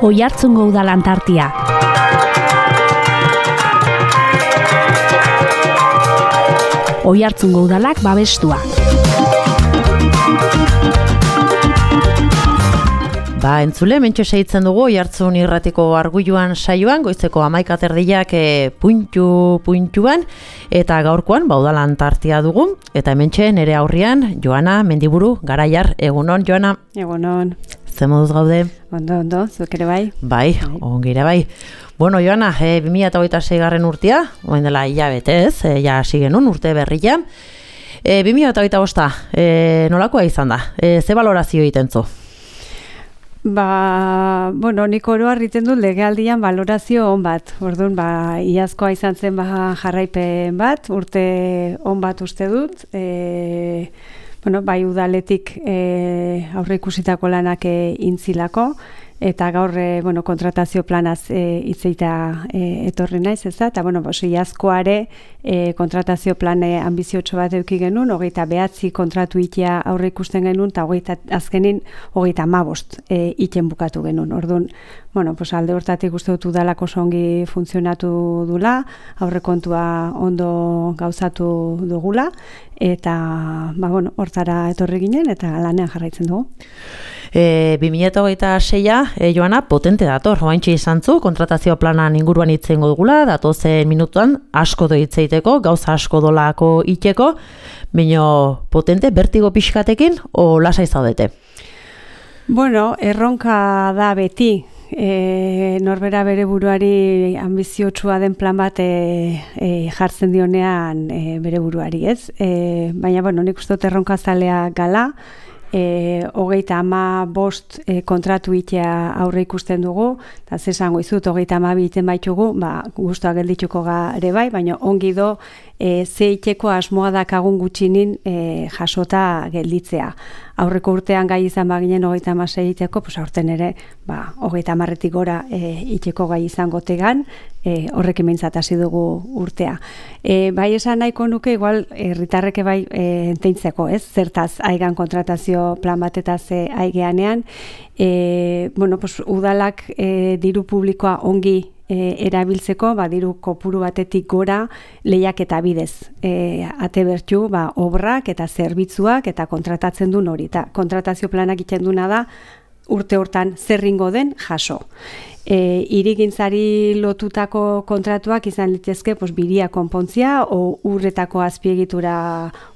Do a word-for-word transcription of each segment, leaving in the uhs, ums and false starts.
Oiartzungo Udal Antartia. Oiartzungo Udalak babestua. Ba, entzule, mentxo seitzen dugu, Oiartzun irratiko arguiluan saioan, goizeko hamaika terdiak e, puntu puntuan, eta gaurkoan, ba, Udal Antartia dugu, eta mentxe nere aurrian, Joana Mendiburu Garaiar, egunon, Joana? Egunon. Ze moduz gaude? Ondo, ondo, zuk ere bai? Bai, bai. Ongire bai. Bueno, Joana, e, bi mila hogeita sei garren urtea, oen dela hilabete ez, e, ja hasi genuen urte berria. E, bi mila hogeita bosta, e, nolakoa izan da? E, ze balorazio egiten zu? Ba, bueno, nik oro harriten dut legealdian balorazio on bat. Orduan, ba, iazkoa izan zen ba, jarraipen bat, urte on bat uste dut. E, bueno, bai udaletik e, aurre ikusitako lanak e, intzilako, eta gaur e, bueno, kontratazio planaz e, itzeita e, etorri naiz, ez da? Eta, bueno, bos, iazkoare e, kontratazio plane ambiziotxo bat eduki genuen, hogeita behatzi kontratu itea aurre ikusten genuen, eta hogeita azkenin hogeita hamabost e, iten bukatu genuen. Orduan, bueno, pues alde hortatik uste dut udalako songi funtzionatu dula, aurrekontua ondo gauzatu dugula, eta, ba, bueno, hortara etorri ginen, eta lanean jarraitzen dugu. E, bi mila hogeita seia, e, Joana, potente dator, oaintxe izan zu, kontratazio planan inguruan itzengo dugula, datozen minutuan asko do itzeiteko, gauza asko dolako iteko, baina potente, bertigo pixkatekin, o lasai zaudete? Bueno, erronka da beti, e, norbera bere buruari ambiziotsua den plan bat e, e, jartzen dionean e, bere buruari, ez? E, baina, bueno, nik uste dut erronka zalea gala, E, hogeita ama bost e, kontratu itea aurre ikusten dugu, eta zesango izut, hogeita ama biten baitugu, ba, guztua geldituko gare bai, baina ongi do e, ze iteko asmoa dakagun gutxinin e, jasota gelditzea. Aurreko urtean gai izan baginen hogeita ama sei iteko, pues aurten ere, ba, hogeita amarretik gora e, iteko gai izango tegan, e, horrek ementzat hasi dugu urtea. E, bai esan nahiko nuke, igual, herritarreke bai e, enteintzeko, ez? Zertaz aigan kontratazio plan bat eta ze aigeanean, e, bueno, pues, udalak e, diru publikoa ongi e, erabiltzeko, ba, diru kopuru batetik gora lehiak eta bidez. E, ate bertu, ba, obrak eta zerbitzuak eta kontratatzen duen hori. Ta, kontratazio planak iten duna da, urte hortan zerringo den jaso. E, irigintzari lotutako kontratuak izan litezke pues, biria konpontzia, o urretako azpiegitura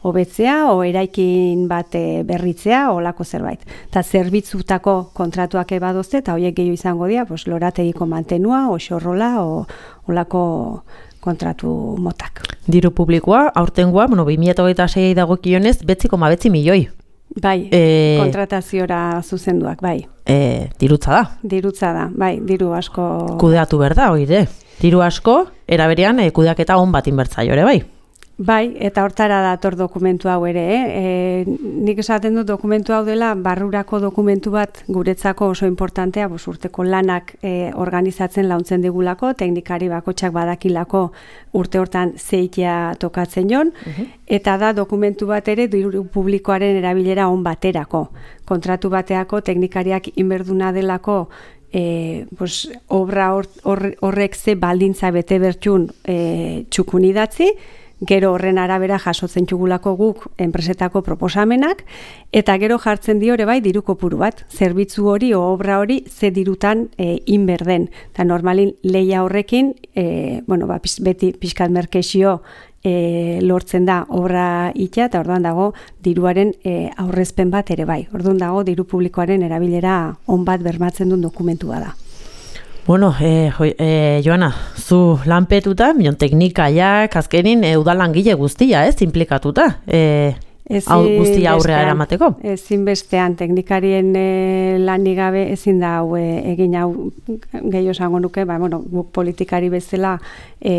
hobetzea, o eraikin bat berritzea, o lako zerbait. Eta zerbitzutako kontratuak ebadozte, eta horiek gehiago izango dira, pues, lorategiko mantenua, o xorrola, o olako kontratu motak. Diru publikoa, aurtengoa, bueno, bi mila hogeita sei dagokionez, betzi koma betzi milioi. Bai, e, kontrataziora zuzenduak, bai. E, dirutza da. Dirutza da, bai, diru asko... Kudeatu berda, oire. Diru asko, eraberean, e, kudeaketa on bat inbertzaio ere, bai. Bai, eta hortara dator dokumentu hau ere, eh? E, nik esaten dut dokumentu hau dela barrurako dokumentu bat guretzako oso importantea, bos, urteko lanak e, organizatzen launtzen digulako, teknikari bakotxak badakilako urte hortan zeitea tokatzen jon, uh-huh. Eta da dokumentu bat ere diru publikoaren erabilera on baterako. Kontratu bateako teknikariak inberduna delako E, pues, obra hor, hor, horrek ze baldintza bete bertxun e, txukun idatzi, gero horren arabera jasotzen txugulako guk enpresetako proposamenak, eta gero jartzen dio ere bai diru kopuru bat, zerbitzu hori o obra hori ze dirutan e, inberden. Eta normalin lehia horrekin, e, bueno, ba, beti pixkat merkexio E, lortzen da obra itea, eta orduan dago diruaren e, aurrezpen bat ere bai. Orduan dago diru publikoaren erabilera on bat bermatzen duen dokumentua da. Bueno, e, jo, e, Joana, zu lanpetuta, minon teknikaiak, azkenin e, udalangile guztia, ez, implikatuta, e, hau guztia aurrea eramateko? Ezin bestean, teknikarien e, lanik gabe ezin da hau e, egin hau gehiago esango nuke, ba, bueno, guk politikari bezala e,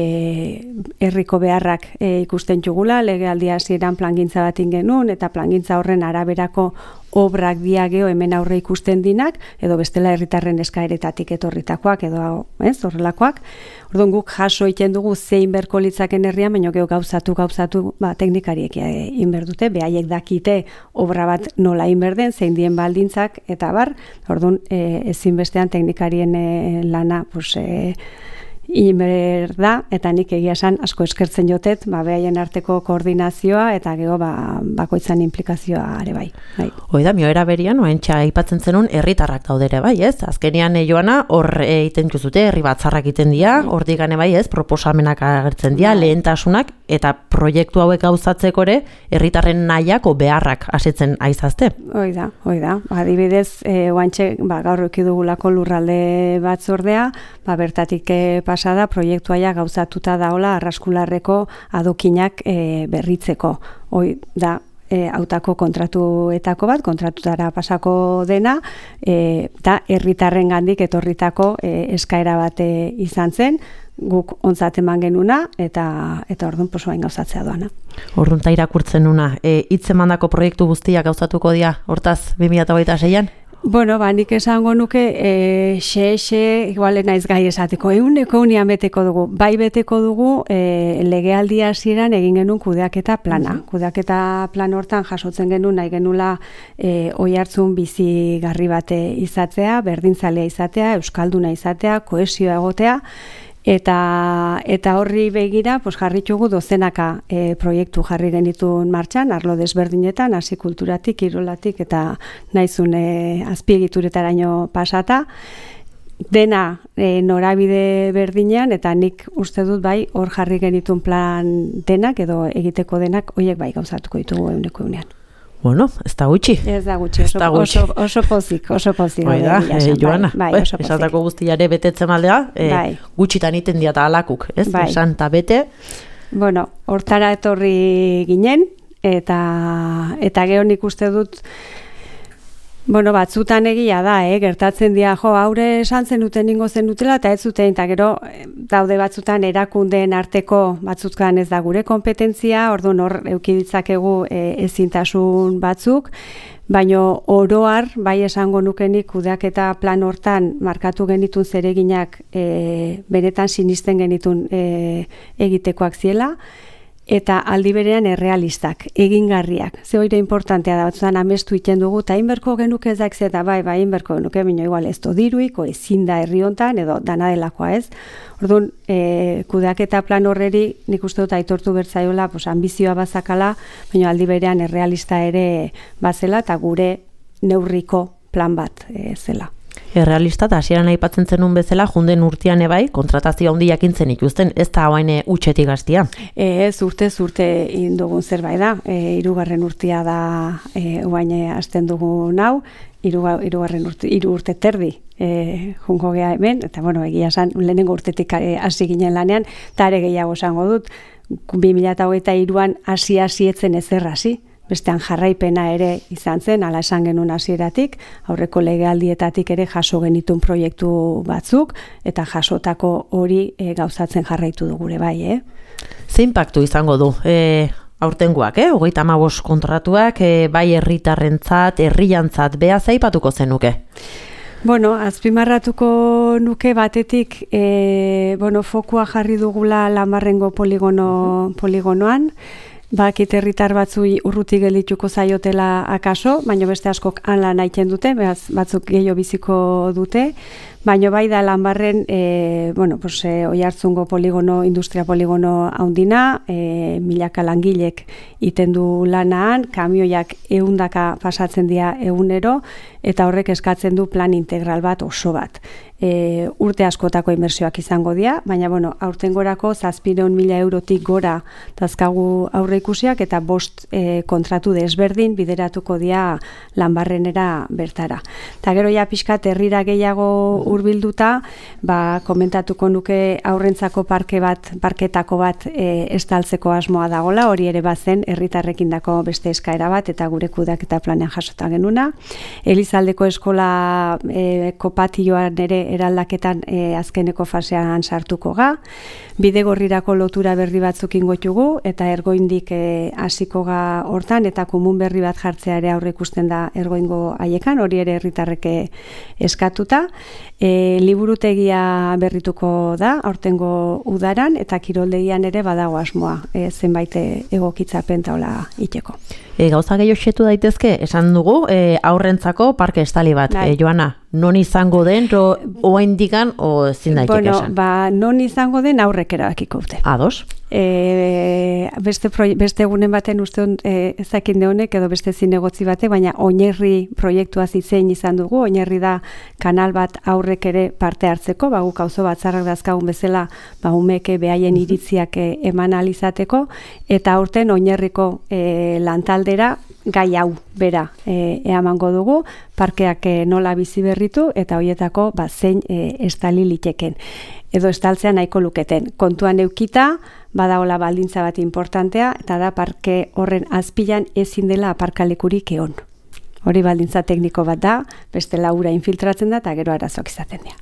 herriko beharrak e, ikusten txugula, legealdia hasieran plangintza bat genuen, eta plangintza horren araberako obrak diageo hemen aurre ikusten dinak, edo bestela herritarren eskaeretatik etorritakoak, edo ez, horrelakoak. Orduan guk jaso egiten dugu zein berko litzaken herrian, baina gero gauzatu, gauzatu, ba, teknikariek egin behar dute, behaiek dakite obra bat nola inberden, zein dien baldintzak, eta bar, orduan, e, ezinbestean teknikarien e, lana, pues, e, inber da, eta nik egia esan asko eskertzen jotet, ba, behaien arteko koordinazioa, eta gero ba, bakoitzan implikazioa ere bai. bai. Hoi da, mioera berian, oentxa aipatzen zenun, herritarrak daudere bai, ez? Azkenean e, Joana, hor egiten juzute, herri batzarrak egiten dira, hor digane bai, ez? Proposamenak agertzen dira, lehentasunak, eta proiektu hauek gauzatzeko ere, herritarren nahiako beharrak asetzen aizazte. Hoi da, hoi da. Adibidez, e, oantxe, ba, gaur ekidugulako lurralde batzordea, ba, bertatik e, pasada proiektuaia gauzatuta daola arraskularreko adokinak e, berritzeko. Hoi da, e, hautako kontratuetako bat, kontratutara pasako dena, e, da herritarren gandik etorritako e, eskaera bat e, izan zen, guk ontzat eman genuna, eta eta orduan posoain gauzatzea doana. Orduan ta irakurtzen nuna, e, hitzemandako proiektu guztiak gauzatuko dira, hortaz bi mila hogeita seian? Bueno, ba, nik esango nuke, e, xe, xe, igual naiz gai esateko, eguneko unian beteko dugu, bai beteko dugu, e, legealdia hasieran egin genuen kudeaketa plana. Mm-hmm. Kudeaketa plan hortan jasotzen genuen, nahi genula e, oihartzun bizigarri bate izatea, berdintzalea izatea, euskalduna izatea, kohesioa egotea, Eta, eta horri begira, pues, jarritugu dozenaka e, proiektu jarri genitun martxan, arlo desberdinetan, hasi kulturatik, kirolatik, eta naizun e, azpiegituretaraino pasata, dena e, norabide berdinean, eta nik uste dut bai, hor jarri genitun plan denak, edo egiteko denak, horiek bai gauzatuko ditugu eguneko egunean. Bueno, ez da gutxi. Ez da gutxi, oso, oso, oso pozik, oso pozik. Bai da, e, Joana, bai, bai, oso pozik. Esatako guztiare betetzen maldea, e, bai. Gutxitan iten diata alakuk, ez? Bai. Esan ta bete. Bueno, hortara etorri ginen, eta, eta gero nik uste dut, bueno, batzutan egia da, eh? Gertatzen dira, jo, haure esan zenuten ningo zenutela, eta ez zuten, eta gero daude batzutan erakundeen arteko batzutkan ez da gure kompetentzia, orduan hor eukiditzakegu e, ezintasun batzuk, baina oroar, bai esango nukenik kudeaketa plan hortan markatu genitun zereginak e, benetan sinisten genitun e, egitekoak ziela, eta aldi berean errealistak, egingarriak. Ze hori importantea da, batzutan amestu iten dugu, eta inberko genuke ezak eta bai, bai, inberko genuke, bino igual ez dodiruiko, ezin da herri hontan, edo dana delakoa ez. Orduan, e, kudeaketa plan horreri, nik uste dut aitortu bertzaiola, pues, ambizioa bazakala, baina aldi berean errealista ere bazela, eta gure neurriko plan bat e, zela. Errealista eta hasieran aipatzen zenun bezala, junden urtean ebai, kontratazio handi jakintzen ikusten, ez da hain utxetik gaztia. Ez urte, urte indugun zerbait da, e, irugarren urtea da e, oain hasten dugu nau, irugarren urte, iru urte terdi e, junko gea hemen, eta bueno, egia esan, lehenengo urtetik hasi ginen lanean, eta ere gehiago esango dut, bi mila hogeita hiruan hasi-hasi etzen ezer hasi, bestean jarraipena ere izan zen, ala esan genuen hasieratik, aurreko legealdietatik ere jaso genitun proiektu batzuk, eta jasotako hori e, gauzatzen jarraitu du gure bai, eh? Ze inpaktu izango du? E, aurtengoak, eh? Hogeita hamabost kontratuak, e, bai herritarrentzat, herriantzat, beha zaipatuko zenuke? Bueno, azpimarratuko nuke batetik, e, bueno, fokua jarri dugula Lanbarrengo poligono, poligonoan, bakit herritar batzui urruti gelituko zaiotela akaso, baina beste askok han lan aiten dute, behaz batzuk gehiago biziko dute, baina bai da Lanbarren, e, bueno, pues, e, Oiartzungo poligono, industria poligono haundina, e, milaka langilek iten du lanaan, kamioiak ehundaka pasatzen dira egunero, eta horrek eskatzen du plan integral bat oso bat. E, urte askotako inbertsioak izango dira, baina bueno, aurtengorako zazpiehun mila eurotik gora dazkagu aurre ikusiak, eta bost e, kontratu desberdin bideratuko dira Lanbarrenera bertara. Ta gero ja pixkat herrira gehiago hurbilduta, ba, komentatuko nuke aurrentzako parke bat, parketako bat e, estaltzeko asmoa dagola, hori ere bazen herritarrekindako beste eskaera bat, eta gure kudeaketa planean jasota genuna. Elizaldeko eskola e, kopatioan ere eraldaketan e, azkeneko fasean sartuko ga, bidegorrirako lotura berri batzuk ingoitugu, eta ergoindik hasiko e, ga hortan, eta komun berri bat jartzea ere aurre ikusten da ergoingo haiekan, hori ere herritarreke eskatuta. E, liburutegia berrituko da, aurtengo udaran, eta kiroldegian ere badago asmoa, e, zenbait egokitzapen taola iteko. E, gauza gehiago xetu daitezke, esan dugu, e, aurrentzako parke estali bat. E, Joana, non izango den, ro, oa indikan, o ezin daiteke bueno, esan? Ba, non izango den aurrek erabakiko dute. Ados? E, beste, proie, beste egunen baten uste hon, e, ezakinde honek edo beste zinegotzi bate, baina oinarri proiektua zizein izan dugu, oinarri da kanal bat aurrek ere parte hartzeko, ba, guk auzo batzarrak dazkagun bezala, ba, umeke behaien iritziak e, eman alizateko, eta aurten oinarriko e, lantaldera gai hau bera e, eamango dugu, parkeak e, nola bizi berritu, eta hoietako ba, zein e, estali liteken. Edo estaltzea nahiko luketen. Kontuan eukita, badaola baldintza bat importantea, eta da parke horren azpilan ezin dela aparkalekurik egon. Hori baldintza tekniko bat da, beste laura infiltratzen da, eta gero arazoak izaten dira.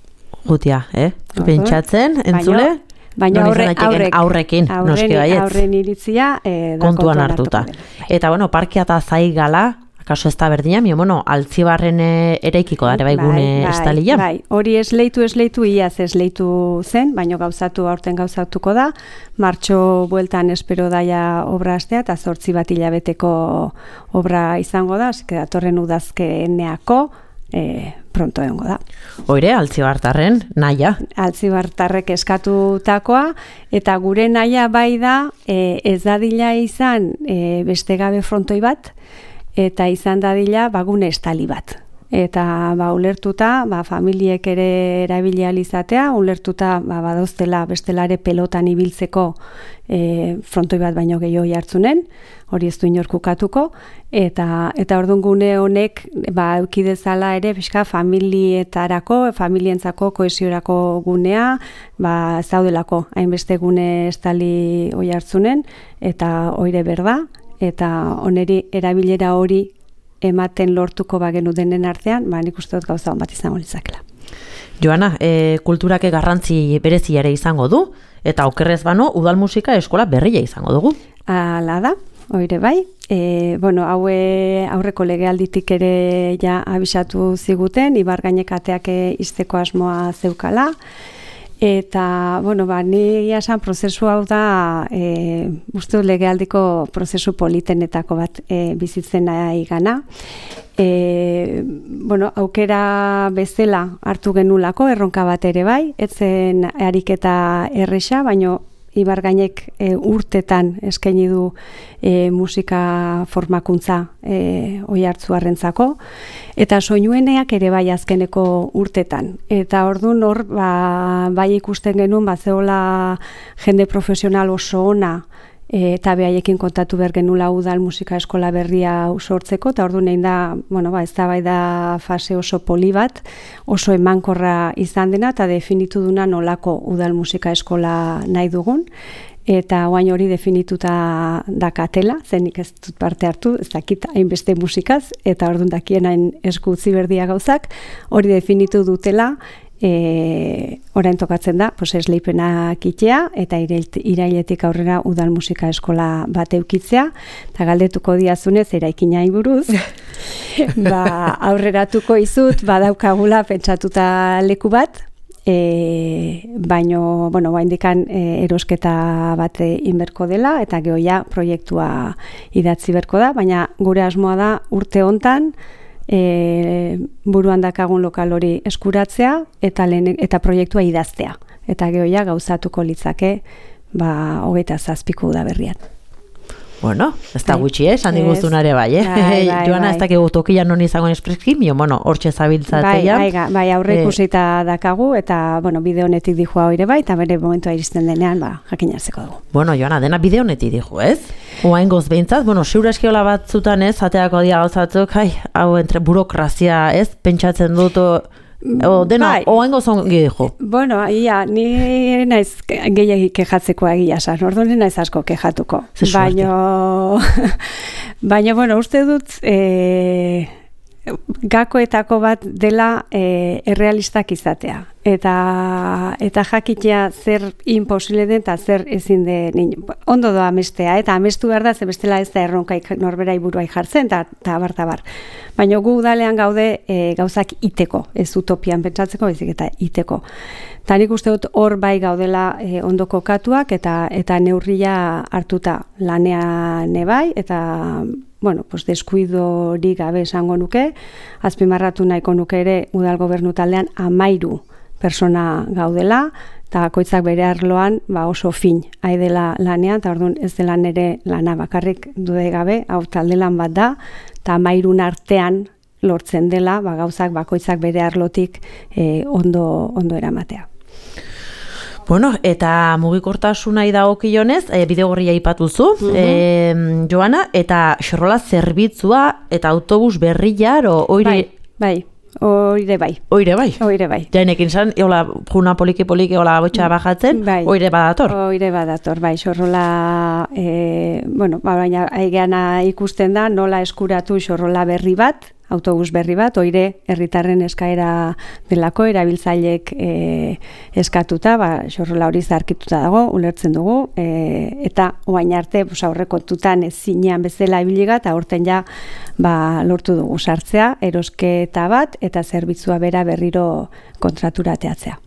Gutia, eh? Pentsatzen, entzule? Baina aurre, aurrek, aurrekin, aurren, noski baietz. Aurren iritzia eh, da kontuan hartuta. Eta, bueno, parkea eta zaigala, akaso ez da berdina, mi, bueno, altzibarren eraikiko dara bai gune bai, estalia. Bai, hori esleitu, esleitu, iaz esleitu zen, baino gauzatu, aurten gauzatuko da, martxo bueltan espero daia obra astea, eta zortzi bat hilabeteko obra izango da, eske datorren udazkeneako, E, pronto egongo da. Oire, altzibartarren naia. Altzibartarrek eskatutakoa, eta gure naia bai da e, ez dadila izan e, beste gabe frontoi bat, eta izan dadila bagune estali bat. Eta ba, ulertuta, ba, familiek ere erabili izatea, ulertuta ba, badoztela bestelare pelotan ibiltzeko e, frontoi bat baino gehiago jartzunen, hori ez du inorkukatuko, eta eta orduan gune honek ba, eukidezala ere pixka familietarako, familientzako kohesiorako gunea, ba, zaudelako hainbeste gune estali hoi hartzunen, eta oire berda, eta oneri erabilera hori ematen lortuko bagenu denen artean, ba, nik uste dut gauza hon bat izango litzakela. Joana, e, kulturake garrantzi berezi ere izango du, eta okerrez bano, udal musika eskola berria izango dugu. Hala da, oire bai. E, bueno, haue aurreko legealditik ere ja abisatu ziguten, Ibar gainekateak izteko asmoa zeukala, eta, bueno, ba, ni esan prozesu hau da, e, uste legealdiko prozesu politenetako bat e, bizitzen nahi gana. E, bueno, aukera bezala hartu genulako, erronka bat ere bai, etzen ariketa erresa, baino Ibar gainek e, urtetan eskaini du e, musika formakuntza e, oi hartzuarrentzako, eta soinueneak ere bai azkeneko urtetan. Eta orduan hor ba, bai ikusten genuen ba, zeola jende profesional oso ona, E, eta behaiekin kontatu behar genula udal musika eskola berria sortzeko, eta orduan egin da, bueno, ba, ez da bai da fase oso poli bat, oso emankorra izan dena, eta definitu duna nolako udal musika eskola nahi dugun, eta oain hori definituta dakatela, zenik ez dut parte hartu, ez dakit hainbeste musikaz, eta orduan dakien hain esku utzi berdia gauzak, hori definitu dutela, E, orain tokatzen da, pues esleipenak itea eta irailetik aurrera udal musika eskola bat eukitzea, eta galdetuko diazunez eraikina buruz, ba, aurreratuko izut, badaukagula pentsatuta leku bat, e, baino, bueno, baindikan e, erosketa bat inberko dela, eta gehoia proiektua idatzi berko da, baina gure asmoa da urte hontan, E, buruan dakagun lokal hori eskuratzea eta, lehen, eta proiektua idaztea. Eta gehoia gauzatuko litzake ba, hogeita zazpiko da berrian. Bueno, ez da gutxi, eh? Esan diguztunare bai, eh? Bai, bai, Joana, bai. ez dakigu tokian non izango espreski, mio, bueno, hortxe zabiltzatea. Bai, bai, bai, aurre ikusita dakagu, eta, bueno, bide honetik dijua hori bai, eta bere momentua iristen denean, ba, jakinarzeko dugu. Bueno, Joana, dena bide honetik diju, ez? Oain goz behintzat, bueno, ziur eskiola batzutan ez, ateako dia gauzatzuk, hai, hau entre burokrazia, ez? Pentsatzen dut, o, dena, bai. Oain goz ongi diju. Bueno, ia, ni naiz gehiagik kejatzeko egia san, orduan naiz asko kejatuko. Baina, baina, bueno, uste dut, e, gakoetako bat dela e, errealistak izatea. Eta, eta jakitea zer imposible den eta zer ezin den. Ondo doa amestea, eta amestu behar da, ze bestela ez da erronkaik norberai buruai jartzen, eta tabar, tabar. Baina gu udalean gaude e, gauzak iteko, ez utopian pentsatzeko, bezik eta iteko. Eta nik uste dut hor bai gaudela e, ondo kokatuak, eta, eta neurria hartuta lanean bai, eta bueno, pues deskuidorik gabe esango nuke, azpimarratu nahiko nuke ere udal gobernu taldean amairu persona gaudela, eta bakoitzak bere arloan ba oso fin aidela lanean, eta orduan ez dela nere lana bakarrik dude gabe, hau talde lan bat da, eta amairun artean lortzen dela, ba gauzak bakoitzak bere arlotik eh, ondo, ondo eramatea. Bueno, eta mugikortasunai dagokionez, e, bidegorria aipatuzu, uh-huh. e, Joana, eta xorrola zerbitzua eta autobus berriar, o oire... Bai, bai. Oire bai. Oire bai? Oire bai. Jainekin zan, hola, juna poliki-poliki, hola, botxa bajatzen, bai. Oire badator? Oire badator, bai. Xorrola, e, bueno, ba, baina aigeana ikusten da, nola eskuratu xorrola berri bat, autobus berri bat, oire herritarren eskaera delako, erabiltzailek e, eskatuta, ba, xorrola hori zarkituta dago, ulertzen dugu, e, eta oain arte, pues, aurrekontutan ez zinean bezala ibiliga, eta aurten ja ba, lortu dugu sartzea, erosketa bat, eta zerbitzua bera berriro kontraturateatzea.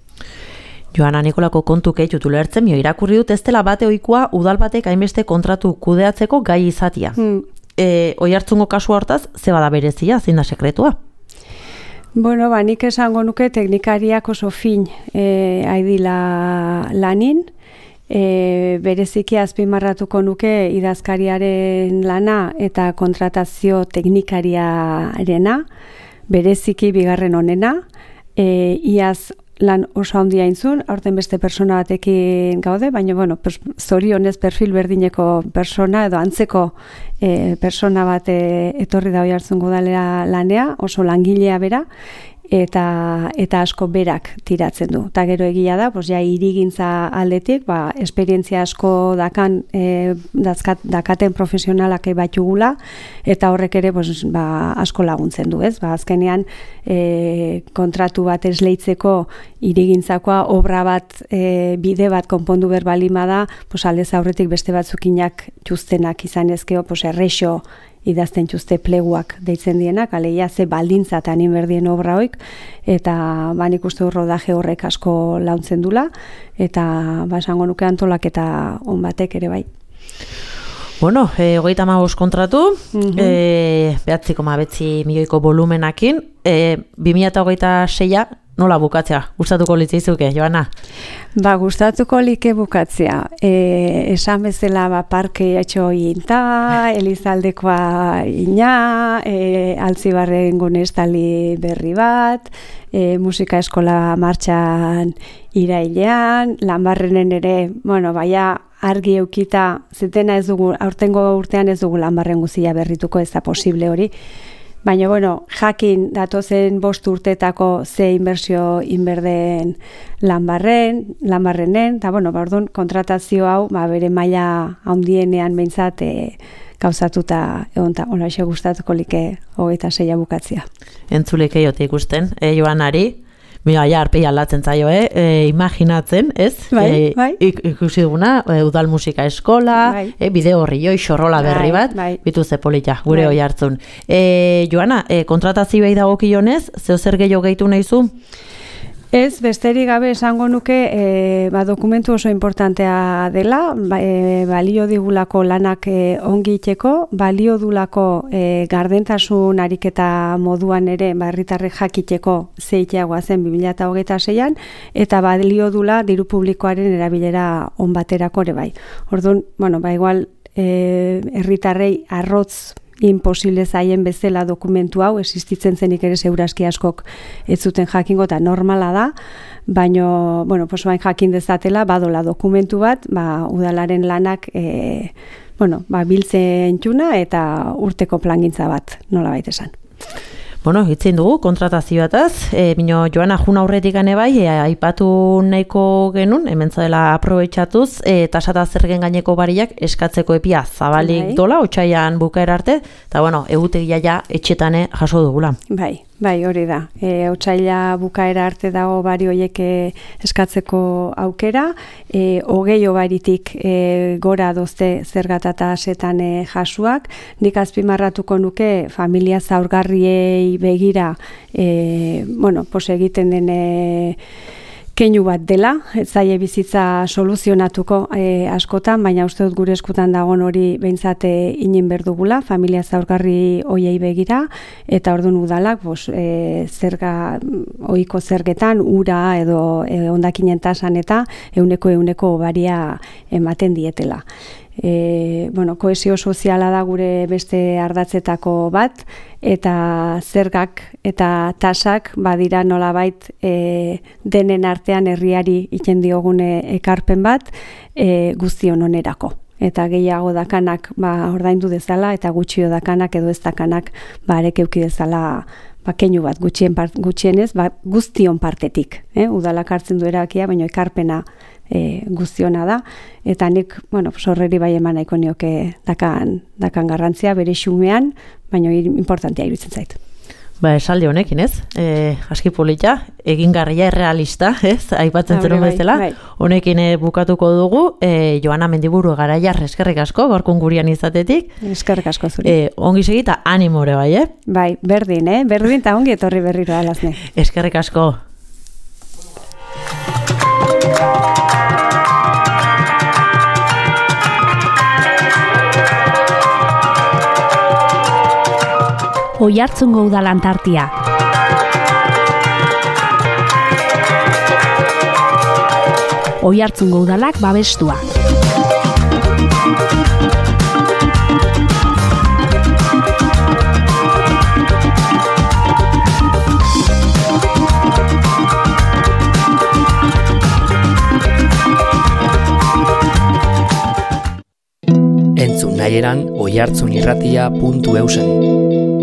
Joana, Nikolako kontu kehitut ulertzen, mio irakurri dut ez dela bate ohikoa udal batek hainbeste kontratu kudeatzeko gai izatia. Hmm. E, oi hartzungo kasu hortaz, ze bada berezia, zein da sekretua? Bueno, ba, nik esango nuke teknikariak oso fin e, aidila lanin, e, bereziki azpimarratuko nuke idazkariaren lana eta kontratazio teknikariarena, bereziki bigarren honena, e, iaz lan oso handia intzun, aurten beste persona batekin gaude, baina, bueno, pues, zorionez perfil berdineko persona edo antzeko e, persona bat e, etorri da Oiartzungo udalera lanea, oso langilea bera, eta eta asko berak tiratzen du. Ta gero egia da, pues ja hirigintza aldetik, ba esperientzia asko dakan eh dazkat, dakaten profesionalak batugula eta horrek ere pues ba asko laguntzen du, ez? Ba azkenean eh kontratu bat esleitzeko hirigintzakoa obra bat e, bide bat konpondu ber balima da, pues aldez aurretik beste batzukinak txustenak izan ezkeo, pues errexo idazten txuste pleguak deitzen dienak, aleia ze baldintzatan inberdien obra hoik, eta ba nik uste rodaje horrek asko launtzen dula, eta ba esango nuke antolaketa on batek ere bai. Bueno, e, hogeita hamabost kontratu, uh-huh. e, behatzi koma bederatziko milioiko volumenakin, e, bi mila hogeita seia nola bukatzea? Gustatuko litzaizuke, Joana? Ba, gustatuko like bukatzea. E, esan bezala ba, parke atxo inta, Elizaldekoa ina, e, Altzibarren gunestali berri bat, e, musika eskola martxan irailean, Lanbarrenen ere, bueno, baia argi eukita, zetena ez dugu, aurtengo urtean ez dugu Lanbarren guzia berrituko, ez da posible hori. Baina, bueno, jakin datozen bost urtetako ze inbertsio inberden Lanbarren, Lanbarrenen, eta, bueno, ba, orduan, kontratazio hau, ba, bere maila handienean behintzat e, gauzatuta egon, eta hola xe gustatuko like hogeita seia bukatzia. Entzulek eiote ikusten, e, Joanari, mira, ja, arpei aldatzen zaio, eh? E, imaginatzen, ez? Bai, e, bai. Ikusi duguna, e, udal musika eskola, bai. e, bideo horri joi, xorrola berri bat, bai, bai. Bitu ze polita, gure bai. Hoi hartzun. E, Joana, e, kontratazioei dagokionez, zeo zer gehiago gehitu nahizu? Ez, besterik gabe esango nuke e, ba, dokumentu oso importantea dela, ba, e, balio digulako lanak e, ongi itxeko, balio dulako e, gardentasun ariketa moduan ere herritarrek jakiteko zeiteagoa zen bi mila hogeita seian, eta balio dula diru publikoaren erabilera on baterako ere bai. Orduan, bueno, ba igual herritarrei e, arrotz imposible zaien bezala dokumentu hau, existitzen zenik ere segurazki askok ez zuten jakingo eta normala da, baino, bueno, pues bain jakin dezatela, badola dokumentu bat, ba, udalaren lanak, e, bueno, ba, biltzen txuna eta urteko plangintza bat, nola baita esan. Bueno, hitzein dugu, kontratazioataz, e, bino Joana jun aurretik gane bai, e, aipatu nahiko genuen, hemen zadela aprobetxatuz, e, tasata zergen gaineko bariak eskatzeko epia zabalik bai. Dola, otxaian bukaera arte, eta bueno, egutegia ja etxetane jaso dugula. Bai, bai, hori da. E, otxaila bukaera arte dago bari hoiek eskatzeko aukera, e, hogei obaritik e, gora dozte zergatata setan e, jasuak, nik azpimarratuko nuke familia zaurgarriei begira, e, bueno, pos egiten den e, keinu bat dela, ez zaie bizitza soluzionatuko e, askotan, baina uste dut gure eskutan dagoen hori behintzat inin berdugula, familia zaurgarri hoiei begira, eta orduan udalak, bos, e, zerga, ohiko zergetan, ura edo e, hondakinen tasan eta euneko euneko baria ematen dietela. E, bueno, kohesio soziala da gure beste ardatzetako bat, eta zergak eta tasak badira nolabait e, denen artean herriari iten diogune ekarpen bat e, guztion onerako. Eta gehiago dakanak ba, ordaindu dezala, eta gutxio dakanak edo ez dakanak ba, arek euki dezala ba, keinu bat gutxien part, gutxienez ba, guztion partetik. Eh? Udalak hartzen du erabakia, baina ekarpena E, guztiona da, eta nik, bueno, sorreri bai eman nahiko nioke dakan, dakan garrantzia bere xumean, baina importantea iruditzen zait. Ba, esaldi honekin, ez? E, aski polita, egingarria errealista, ez? Aipatzen zenun bezala. Bai. Honekin e, bukatuko dugu, e, Joana Mendiburu Garaiar, eskerrik asko, gorkun gurian izatetik. Eskerrik asko zuri. E, ongi segita, animore bai, eh? Bai, berdin, eh? Berdin eta ongi etorri berriro alazne. Eskerrik asko. Oiartzungo Udalantartia. Oiartzungo Udalak babestua. Entzun nahi eran oiartzunirratia puntu eusen.